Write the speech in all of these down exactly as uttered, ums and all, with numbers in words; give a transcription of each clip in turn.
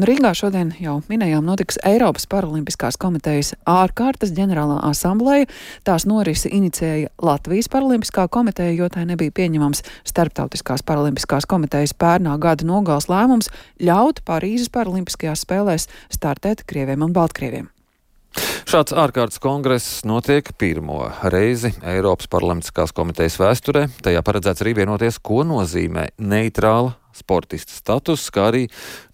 Rīgā šodien jau minējām notiks Eiropas Paralimpiskās komitejas ārkārtas ģenerālā asambleja. Tās norisi inicēja Latvijas Paralimpiskā komiteja, jo tai nebija pieņemams Starptautiskās Paralimpiskās komitejas pērnā gada nogales lēmums ļaut Parīzes Paralimpiskajās spēlēs startēt krieviem un baltkrieviem. Šāds ārkārtas kongress notiek pirmo reizi Eiropas Paralimpiskās komitejas vēsturē. Tajā paredzēts arī vienoties, ko nozīmē neitrāla sportista status, kā arī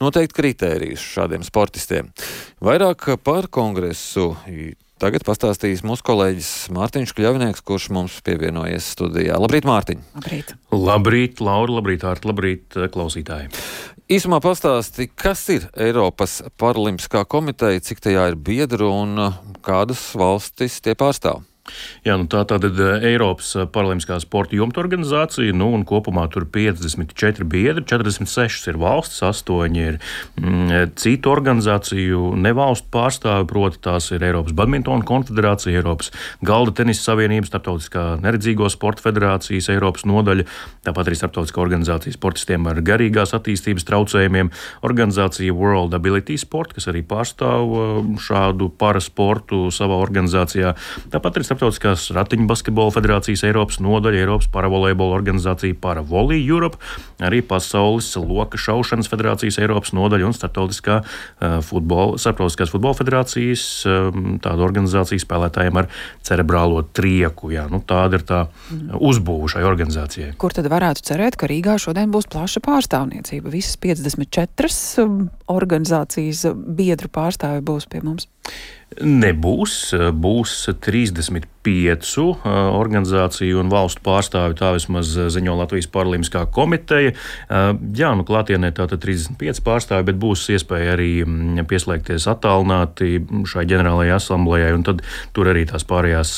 noteikt kritērijus šādiem sportistiem. Vairāk par kongresu tagad pastāstīs mūsu kolēģis Mārtiņš Kļavinieks, kurš mums pievienojies studijā. Labrīt, Mārtiņ! Labrīt! Labrīt, Laura, labrīt, Ārta, labrīt, klausītāji! Īsumā pastāsti, kas ir Eiropas Paralimpiskā komiteja, cik tajā ir biedru un kādas valstis tie pārstāv? Jā, nu tā tātad Eiropas Paralimpiskā sporta jumta organizācija, nu un kopumā tur piecdesmit četri biedri, četrdesmit sešas ir valstis, astoņi ir mm, citu organizāciju nevalstu pārstāvi, proti tās ir Eiropas badmintona konfederācija, Eiropas galda tenisa savienības, Starptautiskā neredzīgo sporta federācijas Eiropas nodaļa, tāpat arī Starptautiskā organizācija sportistiem ar garīgās attīstības traucējumiem, organizācija World Ability Sport, kas arī pārstāv šādu parasportu savā organizācijā, tāpat arī Starptautiskās ratiņu basketbola federācijas Eiropas nodaļa, Eiropas paravolejbola organizācija Paravolley Europe, arī Pasaules loka šaušanas federācijas Eiropas nodaļa un Starptautiskā uh, futbola, Starptautiskās futbola federācijas um, tāda organizācija spēlētājiem ar cerebrālo trieku. Jā, nu, tāda ir tā uzbūve šai organizācijai. Kur tad varētu cerēt, ka Rīgā šodien būs plaša pārstāvniecība? Visas piecdesmit četras organizācijas biedru pārstāvi būs pie mums? Nebūs, būs trīsdesmit piecu organizāciju un valstu pārstāvi, tā vismaz ziņo Latvijas Paralimpiskā komiteja. Jā, nu klātienē tātad trīsdesmit pieci pārstāvi, bet būs iespēja arī pieslēgties attālināti šai ģenerālajai asamblējai, un tad tur arī tās pārējās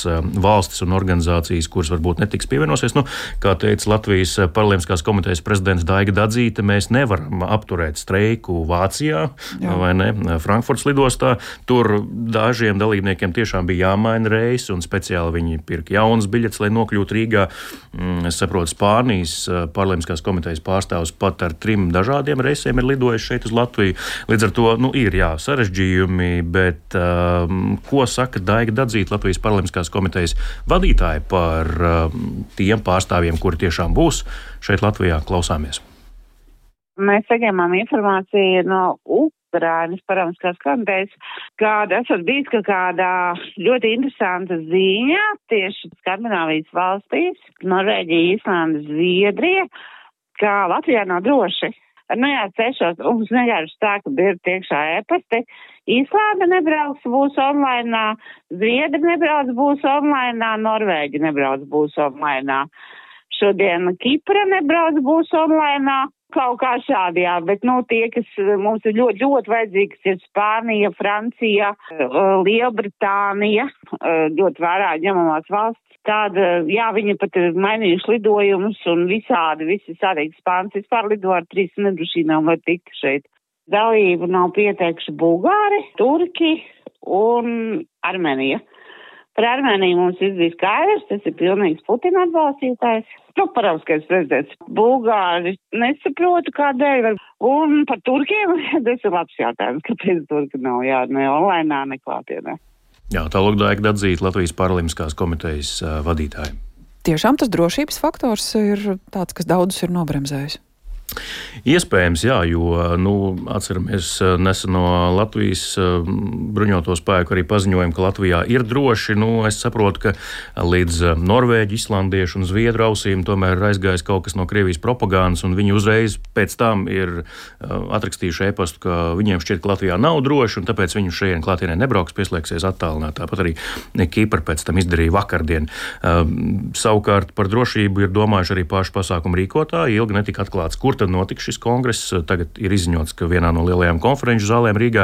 valstis un organizācijas, kuras varbūt netiks pievienosies. Nu, kā teica Latvijas Paralimpiskās komitejas prezidents Daiga Dadzīte, mēs nevaram apturēt streiku Vācijā, Jā. vai ne, Frankfurtas lidostā. Tur dažiem dalībniekiem tiešām bija jāmaina reisi un speciāli viņi pirka jaunas biļetes, lai nokļūtu Rīgā. Es saprotu, Spānijas Paralimpiskās komitejas pārstāvs pat ar trim dažādiem reisiem ir lidojis šeit uz Latviju. Līdz ar to, nu, ir jā, sarežģījumi, bet um, ko saka Daiga Dadzīte, Latvijas Paralimpiskās komitejas vadītāja par um, tiem pārstāvjiem, kuri tiešām būs šeit Latvijā? Klausāmies. Mēs saņēmām informāciju no Ukrainas Paralimpiskās komitejas, kāda esat bijis ka kāda ļoti interesanta ziņa tieši Skandināvijas valstīs, Norvēģija, Islanda, Zviedrija, ka Latvijā nav droši. Nu jā, cešos, mums vienkārši tā, ka ir tiekšā e-pasti. Islanda nebrauks, būs online, Zviedri nebrauc, būs online, Norvēģi nebrauc, būs online. Šodien Kipra nebrauc, būs online. Kaut kā šādi, jā, bet, nu, tie, kas mums ir ļoti, ļoti vajadzīgs, ir Spānija, Francija, Lielbritānija, ļoti vērā ņemamās valsts. Tāda, jā, viņi pat ir mainījuši lidojumus un visādi, visi sādīgi Spāns vispār lido ar trīs nedrošīnām, lai tiktu šeit. Dalību nav pieteikuši Bulgāri, Turki un Armēnija. Par Armēniju mums viss bija skaidrs, tas ir pilnīgs Putina atbalstītājs. Nu, paralimpiskais prezidents. Bulgāri nesaprotu, kādēļ. Un par Turkiem, tas ir labs jautājums, kāpēc Turki nav, jā, ne online, ne klātienē. Jā, tā lūk Daiga Dadzīte, Latvijas Paralimpiskās komitejas uh, vadītāja. Tiešām tas drošības faktors ir tāds, kas daudzus ir nobremzējis. Iespējams, jā, jo, nu, atceramies neseno Latvijas bruņoto spēku arī paziņojumu, ka Latvijā ir droši. Nu, es saprotu, ka līdz norvēģi, islandiešu un zviedru ausīm tomēr ir aizgājis kaut kas no Krievijas propagandas, un viņi uzreiz pēc tam ir atrakstījuši e-pastu, ka viņiem šķiet, ka Latvijā nav droši, un tāpēc viņi šeit klātienē nebrauks, pieslēgsies attālināt. Tāpat arī Kipra pēc tam izdarīja vakardien. Savukārt par drošību ir domājuši arī paši pasākumu rīkotāji, ilgi netika atklāts, kur tad notiks šis kongress. Tagad ir izziņots, ka vienā no lielajām konferenču zālēm Rīgā,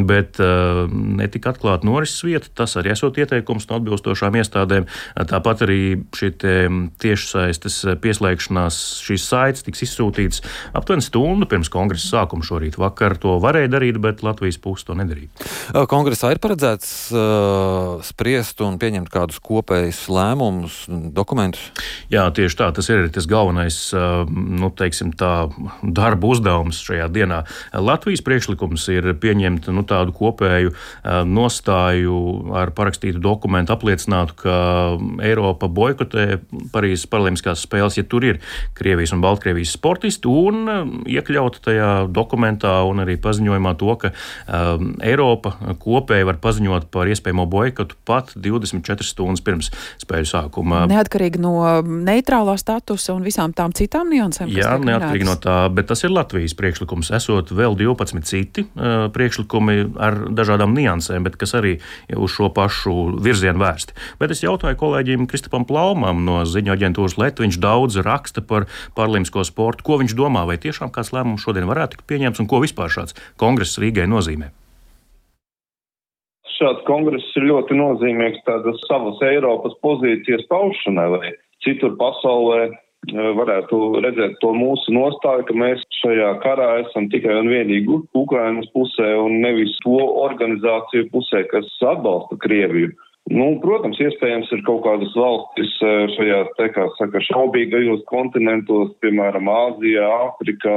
bet uh, netika atklāta norises vieta. Tas arī esot ieteikums no atbilstošām iestādēm. Tāpat arī šie tiešsaistes pieslēgšanās šīs saites tiks izsūtīts aptuveni stundu pirms kongresa sākuma šorīt. Vakar to varēja darīt, bet Latvijas puse to nedarīja. Kongresā ir paredzēts uh, spriest un pieņemt kādus kopējus lēmumus, dokumentus? Jā, tieši tā. Tas ir tas galvenais, uh, nu, teiksim tā, tā darba uzdevums šajā dienā. Latvijas priekšlikums ir pieņemt nu, tādu kopēju nostāju ar parakstītu dokumentu, apliecinātu, ka Eiropa boikotē Parīzes paralimpiskās spēles, ja tur ir Krievijas un Baltkrievijas sportisti, un iekļaut tajā dokumentā un arī paziņojumā to, ka um, Eiropa kopēji var paziņot par iespējamo boikotu pat divdesmit četras stundas pirms spēļu sākuma. Neatkarīgi no neitrālā statusa un visām tām citām niansēm, kas Jā, tiek neatkarīgi minētas. no tā, bet tas ir Latvijas priekšlikums. Esot vēl divpadsmit citi uh, priekšlikumi ar dažādām niansēm, bet kas arī uz šo pašu virzienu vērsti. Bet es jautāju kolēģim Kristapam Plaumam no ziņu aģentūras L E T, viņš daudz raksta par paralimpisko sportu. Ko viņš domā, vai tiešām kāds lēmums šodien varētu tikt pieņemts un ko vispār šāds kongress Rīgai nozīmē? Šāds kongress ir ļoti nozīmīgs tādas savas Eiropas pozīcijas paušanai, lai citur pasaulē varētu redzēt to mūsu nostāju, ka mēs šajā karā esam tikai un vienīgi Ukrainas pusē un nevis to organizāciju pusē, kas atbalsta Krieviju. Nu, protams, iespējams ir kaut kādas valstis šajā, te, kā saka, šaubīgajos kontinentos, piemēram, Āzijā, Āfrikā,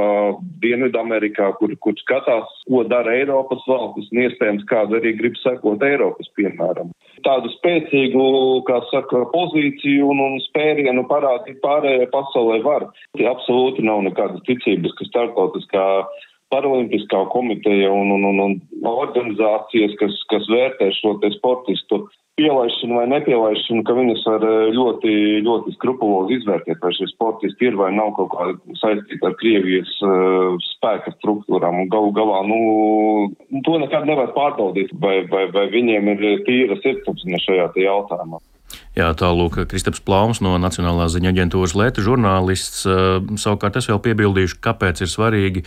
Dienvidamerikā, kur, kur skatās, ko dara Eiropas valstis, un iespējams kāda arī grib sekot Eiropas, piemēram. Tādu spēcīgu, kā saka, pozīciju un, un spērienu parādīt pārējai pasaulē var. Tie absolūti nav nekādas ticības, ka starptautiskā Paralimpiskā komiteja un, un, un, un organizācijas, kas, kas vērtē šo te sportistu pielaišanu vai nepielaišanu, ka viņas var ļoti, ļoti skrupulozi izvērtēt, vai šie sportisti ir vai nav kaut kā saistīti ar Krievijas uh, spēka struktūrām. Un galu galā, nu, to nekad nevar pārbaudīt, vai, vai, vai viņiem ir tīra sirdsapziņa šajā te jautājumā. Jā, tālūk, Kristaps Plaums no Nacionālās ziņu aģentūras L E T žurnālists. Savukārt es vēl piebildīšu, kāpēc ir svarīgi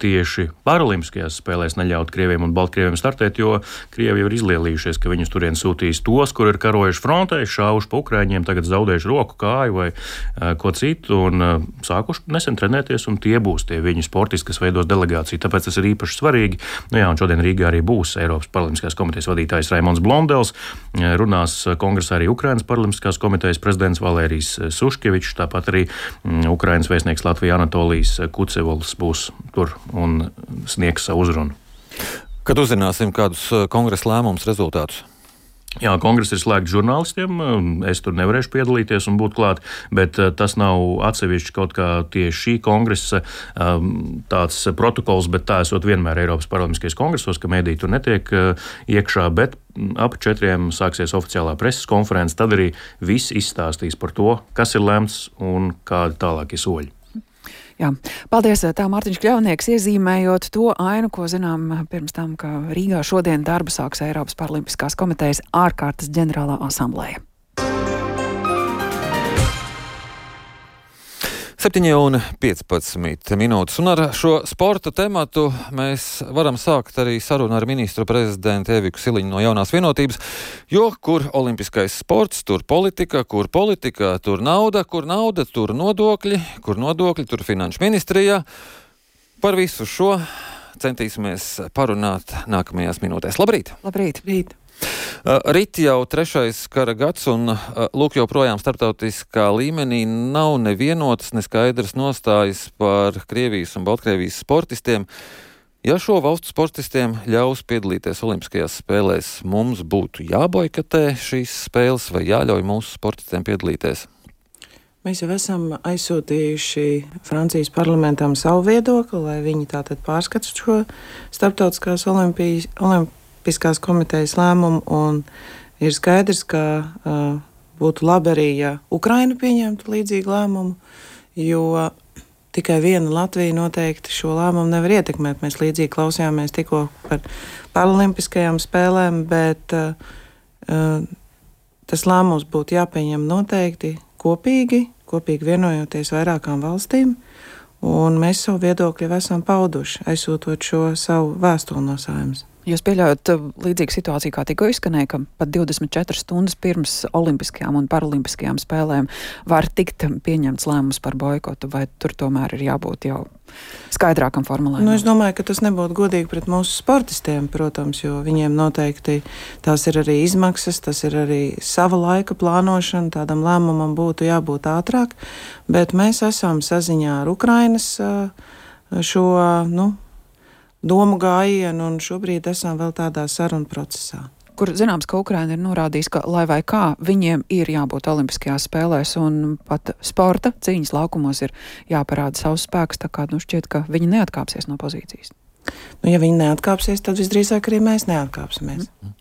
tieši paralimpiskajās spēlēs neļaut Krieviem un Baltkrieviem startēt, jo Krievi jau ir izlielījušies, ka viņus turien sūtīs tos, kur ir karojuši frontē, šāvuši pa Ukraiņiem, tagad zaudējuši roku, kāju vai ko citu, un sākuši nesen trenēties, un tie būs tie viņu sportisti, kas veidos delegāciju. Tāpēc tas ir īpaši svarīgi. Nu jā, un šodien Rīgā arī būs Eiropas Paralimpiskās komitejas vadītājs Raimons Blondels, runās kongresā arī Ukrainas Paralimpiskās komitejas prezidents Valērijs Suškevičs, tāpat arī Ukrainas vēstnieks Latvijā Anatolijas Kucevols būs tur un sniegs savu uzrunu. Kad uzzināsim kādus kongresa lēmumus rezultātus? Jā, kongress ir slēgts žurnālistiem, es tur nevarēšu piedalīties un būt klāt, bet tas nav atsevišķi kaut kā tieši šī kongresa tāds protokols, bet tā esot vienmēr Eiropas Paralimpiskajos kongresos, ka mediji tur netiek iekšā, bet ap četriem sāksies oficiālā preses konferences, tad arī viss izstāstīs par to, kas ir lemts un kādi tālākie soļi. Jā, paldies, tā Mārtiņš Kļavnieks, iezīmējot to ainu, ko zinām pirms tam, ka Rīgā šodien darbu sāks Eiropas Paralimpiskās komitejas ārkārtas ģenerālā asambleja. septiņi un piecpadsmit minūtes, un ar šo sporta tematu mēs varam sākt arī sarunu ar ministru prezidentu Eviku Siliņu no Jaunās vienotības, jo kur olimpiskais sports, tur politika, kur politika, tur nauda, kur nauda, tur nodokļi, kur nodokļi, tur finanšu ministrijā. Par visu šo centīsimies parunāt nākamajās minūtēs. Labrīt! Labrīt! Labrīt. Rit jau trešais kara gads, un lūk, joprojām starptautiskā līmenī nav nevienotas, neskaidras nostājas par Krievijas un Baltkrievijas sportistiem. Ja šo valstu sportistiem ļaus piedalīties Olimpiskajās spēlēs, mums būtu jāboikotē šīs spēles vai jāļauj mūsu sportistiem piedalīties? Mēs jau esam aizsūtījuši Francijas parlamentam savu viedokli, lai viņi tātad pārskata šo starptautiskās olimpijas, olimpijas Piskās komitejas lēmumu, un ir skaidrs, ka uh, būtu labi arī, ja Ukraina pieņemtu līdzīgu lēmumu, jo tikai viena Latvija noteikti šo lēmumu nevar ietekmēt. Mēs līdzīgi klausījāmies tikko par paralimpiskajām spēlēm, bet uh, uh, tas lēmums būtu jāpieņem noteikti kopīgi, kopīgi vienojoties vairākām valstīm, un mēs savu viedokli jau esam pauduši, aizsūtot šo savu vēstuli no Saeimas. Jūs pieļaujat līdzīgu situāciju, kā tikko izskanēja, ka pat divdesmit četras stundas pirms olimpiskajām un paralimpiskajām spēlēm var tikt pieņemts lēmums par boikotu, vai tur tomēr ir jābūt jau skaidrākam formulējumam? Nu, es domāju, ka tas nebūtu godīgi pret mūsu sportistiem, protams, jo viņiem noteikti tās ir arī izmaksas, tas ir arī sava laika plānošana, tādam lēmumam būtu jābūt ātrāk, bet mēs esam saziņā ar Ukrainas šo, nu, domu gājienu, un šobrīd esam vēl tādā sarunu procesā. Kur zināms, ka Ukraina ir norādījis, ka, lai vai kā, viņiem ir jābūt olimpiskajās spēlēs, un pat sporta cīņas laukumos ir jāparāda savus spēkus, tā kā nu šķiet, ka viņi neatkāpsies no pozīcijas. Nu, ja viņi neatkāpsies, tad visdrīzāk arī mēs neatkāpsimies. Mm.